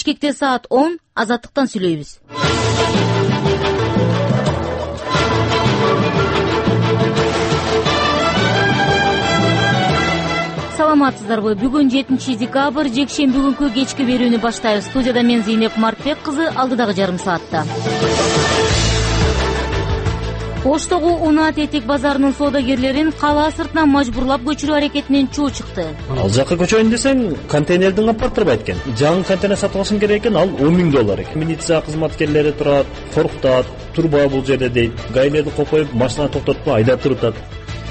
Бишкекте саат 10, Азаттыктан сүйлөйбүз. Саламатсыздарбы? Бүгүн 7 декабрь, жекшемби күнкү кечки берүүнү баштайбыз. Студияда мен Зейнеп Маркбек кызы, алдыдагы жарым саатта. Оштогу Унаат этек базарынын соодагерлерин кала сыртынан мажбурлап көчүрүү аракетинен чуу чыкты. Ал жакка көчөйүн десең, контейнердин каптырбайт экен. Жаңы контейнер сатып алышың керек экен, ал $10.000 экен. Милиция кызматкерлери турат, коркутат, турба бул жерде дейт. Гаилерди копоюп, машина токтотпой айдап турутат.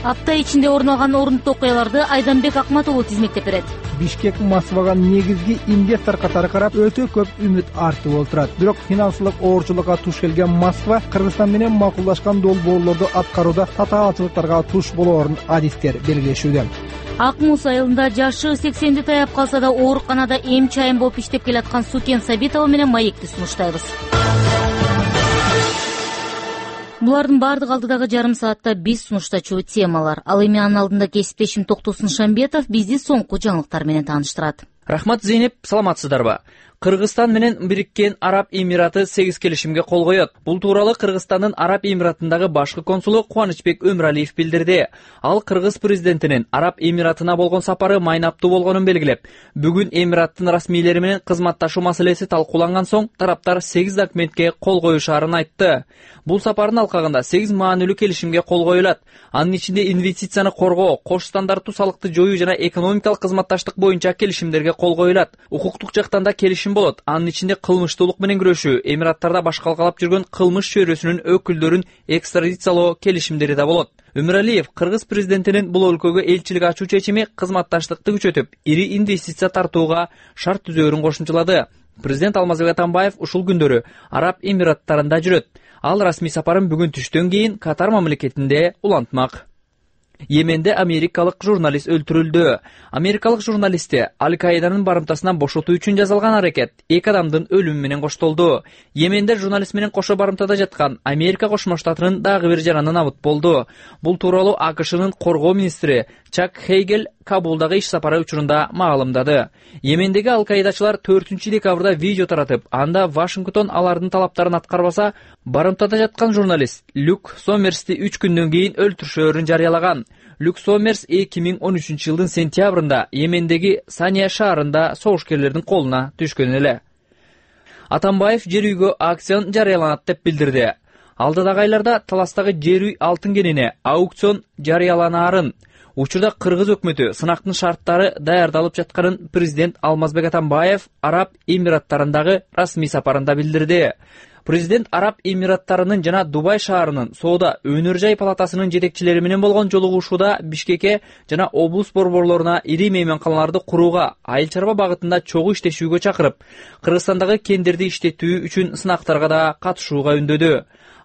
Апта ичинде орун алган орундуу окуяларды Айданбек Акмат уулу тизмектеп берет. Бишкек Москвага негизги инвестор катары карап өтө көп үмүт артып отурат. Бирок финансылык оорчулукка туш келген Москва Кыргызстан менен макулдашкан долбоорлорду аткарууда татаалчылыктарга туш болоорун адистер белгилешүүдө. Ак Муз айылында жашы 80ди таяп калса да ооруканада эм чайым болуп иштеп келаткан Сукен Сабитова менен маекти сунуштайбыз. Булардын бардыгы алдыдагы жарым саатта биз сунуштачу темалар. Ал эми анын алдында кесиптешим Токтосун Шамбетов бизди соңку жаңылыктар менен тааныштырат. Рахмат, Зейнеп, саламатсыздарбы? Кыргызстан менен Бириккен Араб Эмираты 8 келишимге кол коёт. Бул тууралуу Кыргызстандын Араб Эмиратындагы башкы консулу Кубанычбек Өмүралиев билдирди. Ал Кыргыз президентинин Араб Эмиратына болгон сапары майнаптуу болгонун белгилеп, бүгүн Эмираттын расмийлери менен кызматташуу маселеси талкууланган соң тараптар 8 документке кол коюшаарын айтты. Бул сапардын алкагында 8 маанилүү келишимге кол коюлат. Анын ичинде инвестицияны коргоо, кош стандарттуу салыкты жоюу жана экономикалык кызматташтык боюнча келишимдерге кол коюлат. Укуктук жактан да келишим болот. Анын ичинде кылмыштуулук менен күрөшүү, Эмираттарда башкалкалап жүргөн кылмыш чөйрөсүнүн өкүлдөрүн экстрадициялоо келишимдери да болот. Өмүралиев Кыргыз президентинин бул өлкөгө элчилик ачуу чечими кызматташтыкты күчөтүп, ири инвестиция тартууга шарт түзөөрүн кошумчалады. Президент Алмазбек Атамбаев ушул күндөрү Араб Эмираттарында жүрөт. Ал расмий сапарын бүгүн түштөн кийин Катар мамлекетинде улантмак. Йеменде америкалык журналист өлтүрүлдү. Америкалык журналистти Аль-Каиданын барымтасынан бошотуу үчүн жазылган аракет 2 адамдын өлүмү менен коштолду. Йеменде журналист менен кошо барымтада жаткан Америка Кошмо Штатынын дагы бир жараны набыт болду. Бул тууралуу АКШнын коргоо министри Чак Хейгел Кабулдагы иш сапары учурунда маалымдады. Йемендеги Аль-Каидачылар 4 декабрда видео таратып, анда Вашингтон алардын талаптарын аткарбаса, барымтада жаткан журналист Люк Сомерсти 3 күндөн кийин өлтүрүшөөрүн жарыялаган. Люк Сомерс 2013 жылдын сентябрында Йемендеги Сания шаарында согушкерлердин колуна түшкөн эле. Атамбаев жер үйгө аукцион жарыяланат деп билдирди. Алдыдагы айларда таластагы жер үй алтын кенине аукцион жарыяланаарын, учурда Кыргыз өкмөтү сынактын шарттары даярдалып жатканын президент Алмазбек Атамбаев Араб Эмираттарындагы расмий сапарында билдирди. Президент Араб Эмираттарынын жана Дубай шаарынын соода өнөр жай палатасынын жетекчилери менен болгон жолугушууда Бишкекке жана облус борборлоруна ири мейманканаларды курууга, айыл чарба багытында чогуу иштешүүгө чакырып, Кыргызстандагы кендерди иштетүү үчүн сынактарга да катышууга үндөдү.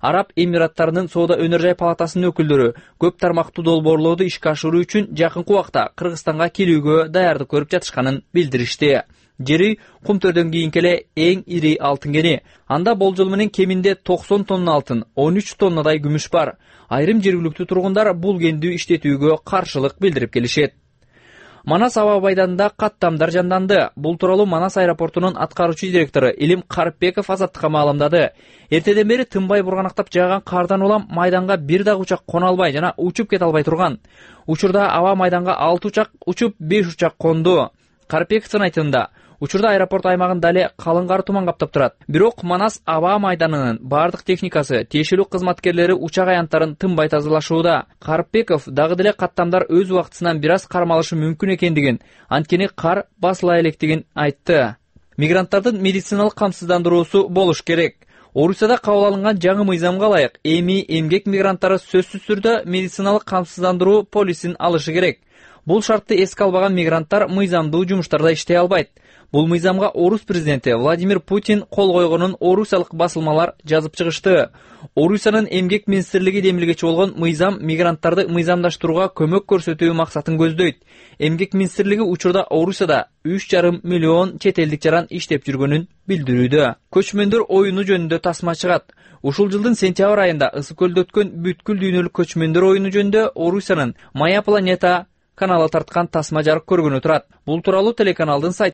Араб Эмираттарынын соода өнөр жай палатасынын өкүлдөрү көп тармактуу долбоорлорду ишке ашыруу үчүн жакынкы убакта Кыргызстанга келүүгө даярдык көрүп жатышканын билдиришти. Жери Кумтөрдөн кийинки эле эң ири алтын кени. Анда болжол менен кеминде 90 тонна алтын, 13 тоннадай күмүш бар. Айрым жергиликтүү тургундар бул кенди иштетүүгө каршылык билдирип келишет. Манас аба майданында каттамдар жанданды. Бул тууралуу Манас аэропортунун аткаруучу директору Илим Карпбеков Азаттыкка маалымдады. Эртеден бери тынбай бурганактап жааган кардан улам майданга бир дагы учак кона албай жана учуп кете албай турган. Учурда аба майданга 6 учак учуп 5 учак конду. Карпбековдун айтымында, учурда аэропорт аймагында эле калың кар туман каптап турат. Бирок Манас аба майданынын бардык техникасы, тиешелүү кызматкерлери учак аянттарын тынбай тазалашууда. Карпбеков дагы деле каттамдар өз убактысынан бир аз кармалышы мүмкүн экендигин, анткени кар басыла электигин айтты. Мигранттардын медициналык камсыздандыруусу болуш керек. Орусияда кабыл алынган жаңы мыйзамга ылайык эми эмгек мигранттары сөзсүз түрдө медициналык камсыздандыруу полисин алышы керек. Бул шартты эске албаган мигранттар мыйзамдуу жумуштарда иштей албайт. Бул мыйзамга орус президенти Владимир Путин кол койгонун орусиялык басылмалар жазып чыгышты. Орусиянын эмгек министрлиги демилгечи болгон мыйзам мигранттарды мыйзамдаштырууга көмөк көрсөтүү максатын көздөйт. Эмгек министрлиги учурда Орусияда 3,5 миллион чет элдик жаран иштеп жүргөнүн билдирүүдө. Көчмөндөр оюну жөнүндө тасма чыгат. Ушул жылдын сентябрь айында ысык көлдө өткөн бүткүл дүйнөлүк көчмөндөр оюну жөнүндө Орусиянын Моя планета каналы тарткан тасма жарык көргөнү турат. Бул тууралуу телеканалдын сайты